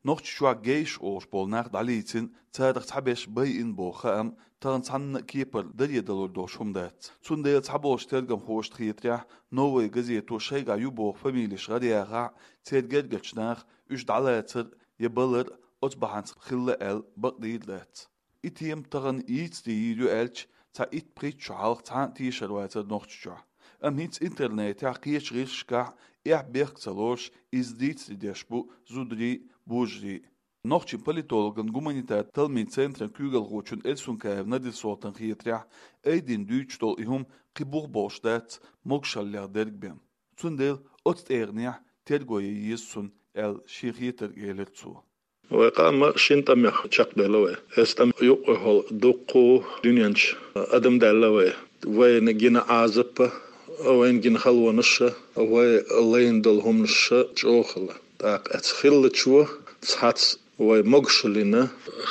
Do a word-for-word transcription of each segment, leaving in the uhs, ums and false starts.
Нохчийчохь гейш олуш болу нах дӀалийцина, царах цхьаберш байина боху хаам тахана цхьанна а кепара даре далур долуш хӀума дац. Цундела цхьаболчу тергамхошна хетарехь, «Новая газето» шайгахь ю боху фамилеш гӀараяхахь, церан гергарчу наха уьш дӀалацар я балар оцу бахьанца хилла аьлла бакъдийр дац. И тема тахана йийцаде йийр ю аьлча, цхьа итт-пхийтта шо хьалха цхьа а тешар вацара Нохчийчохь. Амма хӀинца интернетехь, кхечу гӀирсашкахь эхь-бехк ца лоруш, иза дийцаде деш бу зударий а, божарий а. Нохчийн политологан гуманитар-талламийн центран куьйгалхочун Эльсункаев Надир-Солтана хетарехь, айдина дуьйцуш долу и хӀума кхин бух болуш дац могушаллех дерг бен. Цундела оцу тӀегӀанехь терго ян еза цунна аьлла шен хетарг элира цо. Вай къам шина тӀамех чекхбелла вай. Эс тӀам юкъахула дуккха дуьнен чу адам даьлла вай. Вайна гина Ӏазап а, вайна гина халонаш а, вай лайна долу хӀуманаш а чӀогӀа хилла. ТӀаккха эцца хиллачо цхьацца вай могушаллина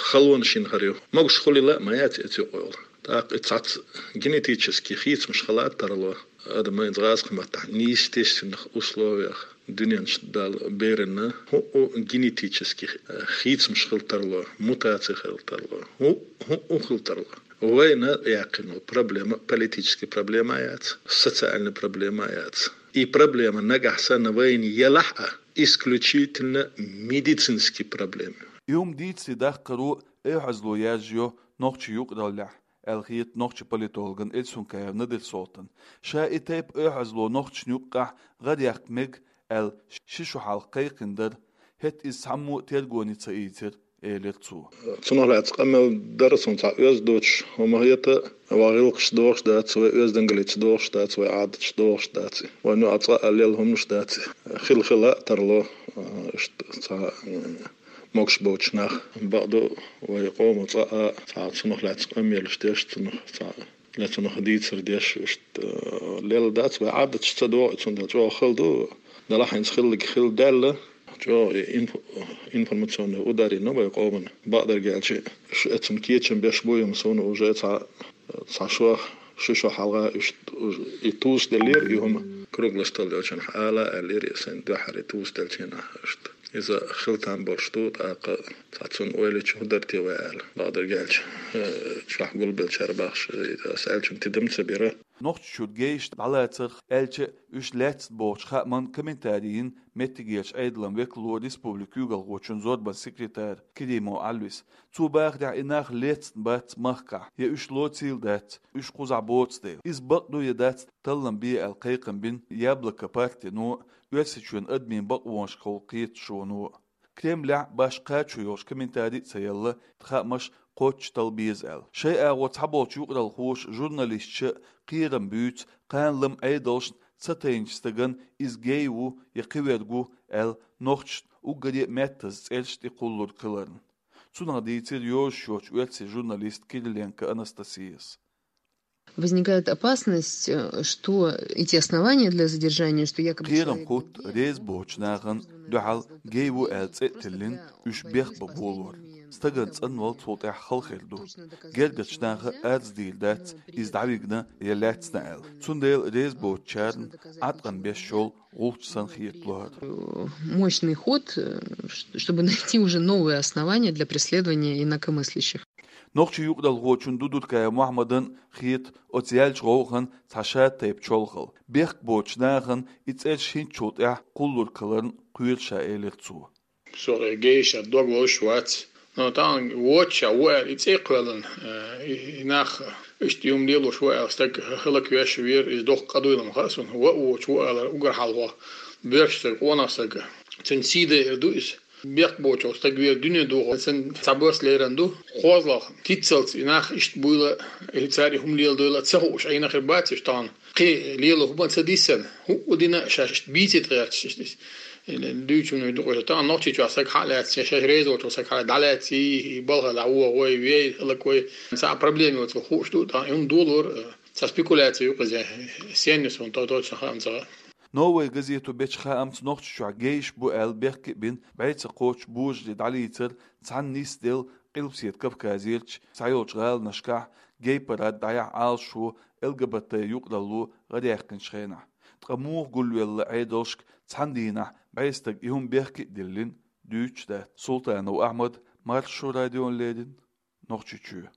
халонаш йина хир ю. Могуш хуьлийла а ма яц эцца юкъахула. ТӀаккха и цхьацца генетически хийцамаш хила а тарло. Адам вайна гӀазкхийн маттахь неестественных условиях дуьнен чу Дала берина хӀуъу генетически, э, хийцамаш хила тарло, мутаци хила тарло, хӀуъу, хӀуъу хила тарло. Вайна яьккхина проблема политически проблема яц, социальни проблема яц. И проблема нагахь санна вайна елахь а, исключительно медицински проблема. И хӀума дийцаре даккхаро эхь-хьазло яржайо нохчийн юкъараллехь, аьлла хета нохчийн политологана Эльсункаев Надир-Солтана. Ша и тайпа эхь-хьазло нохчашна юккъехь гӀараяьккха мега аьлла ши шо хьалха кхайкхина дара, хӀетта иза цхьаммо а тергоне ца ийцира, элира цо. Цунах лаьцна къамел дара суна цхьа оьзда доцуш хӀума хета, вай гӀиллакхаш дохуш дац, вай оьздангаллица дохуш дац, вай Ӏадаташ дохуш дац, вайна юкъахь цкъа а лелла хӀуманаш дац, хила-хила а тарло, иштта цхьа, могуш боцуш нах. Бакъду, вай къомо цкъа а цхьа цунах лаьцна къамелаш деш, цунах цхьа ле цунах дийцар деш, иштта, э, лелла дац, вай Ӏадаташ ца догӀу, цундела чӀогӀа хала ду. Делахь хӀинца хилларг хилла даьлла, чӀогӀа и инф-, информационный удар йина вай къомана. Бакъдерг аьлча, ш-, эцунна кечам беш бу, амма суна уже цхьа, цхьа шо, ши шо хьалха иштта и тосаделлера, и хӀума круглый стол йолчунах ала аьллера, и сайн дуьххьара и тосаделча хенахь иштта. Иза хила там болуш ду, тӀаккха цхьа цунна ойла йича хӀун дара те вай аьлла. Бакъдерг аьлча, э, чохь гулбеллачара бахаш, э, ас аьллачунна тидам ца бира. Нохчийчуьра гейш дӀалацарх аьлча, уьш лаьцна бохучу хааман комментарий йина меттигерчу Ӏедалан векало, республикан куьйгалхочун зорбан секретарь Керимов Ӏалвис. Цо бахарехь, и нах лецна бац махкахь, я уьш лоцийла дац, уьш кхузахь боцу дела. Иза бакъ ду я дац, таллам бе аьлла кхайкхам бина «Яблоко» партино, Оьрсийчоьнан адамийн бакъонашкахула кхеташоно. Кремлехь башха кхачо йолуш комментарий а ца елла, хаамаш кхоччуш талла беза аьлла. Шайн агӀор цхьаболчу юкъаралхоша, журналисташа кхерам буьйцу кхана-лама Ӏедалшна ца тайначу стагана иза гей ву я кхиверг ву аьлла, нохчашна уггаре а меттаза цӀераш тӀе кхуллург хиларна. Цунах дийцира йозуш йоцчу оьрсийн журналиста Кириленко Анастасияс. Возникает опасность, э, что эти основания для задержания, что якобы кхерам человек хӀутту гей, реза боцучу нахана дуьхьал гей ву аьлла цӀе а тиллина, уьш бехк бан болор. Стагана цӀанвала цул тӀаьхьа хала хир ду. Гергарчу наха арз дийр дац, иза дӀавигна я лаьцна аьлла. Цундела реза боцучарна Ӏаткъам беш йолу гӀулч санна хета лоьхура. Мощный ход, э, ш-, чтобы найти уже новые основания для преследования инакомыслящих. Нохчийн юкъаралхочун Дудуркаев Мухьаммадан хета оцу яьллачу гӀовгӀан цхьа шатайпа чолхалла. Бехк боцучу нахана и цӀераш хӀинцачул тӀаьхьа кхуллург хиларна кхоьру ша, элира цо. Со гейша дог лозуш вац. Но тахана воцуш а ву аьлла, и цӀе а кхоьллина, э, и, и нах иштта юм лелош ву аьлла, стаг хӀаллаквеш вера, иза доккха къа дуйла ма хаьа суна. Ван а воцуш ву аьлла, уггар хьалха боьрша стаг, къонах стаг. Цуьнан сий дайар ду иза. Бехк боцуш стаг вер дуьне духу, сан цхьа бос леран ду. КхозлагӀа, киццалц и нах иштта буйла, и цара и хӀума леладойла а ца хууш, Ӏийна хир бац уьш тахана. Кхин лела хӀума ца диссан, хӀуъу дина а шаьш иштта бийцийта гӀерташ иштта. Дуьйцург ду-кх уьш, тахана Нохчийчохь стаг хьа а лаьцна, шаьш реза волчу стаг хьа дӀалаьций, и балха дӀавогӀу вай, вей, хӀаллаквай. Цхьа а проблема йоцург хууш ду, тахана и хӀума долор, цхьа спекуляция ю-кх иза, сенна ю суна то-, точно хаам ца хаьа. «Новая газета» бечу хаамца, Нохчийчохь гейш бу аьлла бехке а бина, бӀе ца кхоччу божарий дӀалийцар цхьаьна нисделла Къилбаседа Кавказерчу цхьайолчу гӀаланашкахь гей-парад дӀаяхьа Ӏалашо, Л Г Б Т юкъаралло гӀараяьккхинчу хенахь. Ткъа муха гулвелла Ӏедалшка цхьана дийнахь бӀе стаг и хӀума бехке а диллина? Дуьйцуш дац. Султанов Ахьмад, Маршо радиона леррина, Нохчийчоь.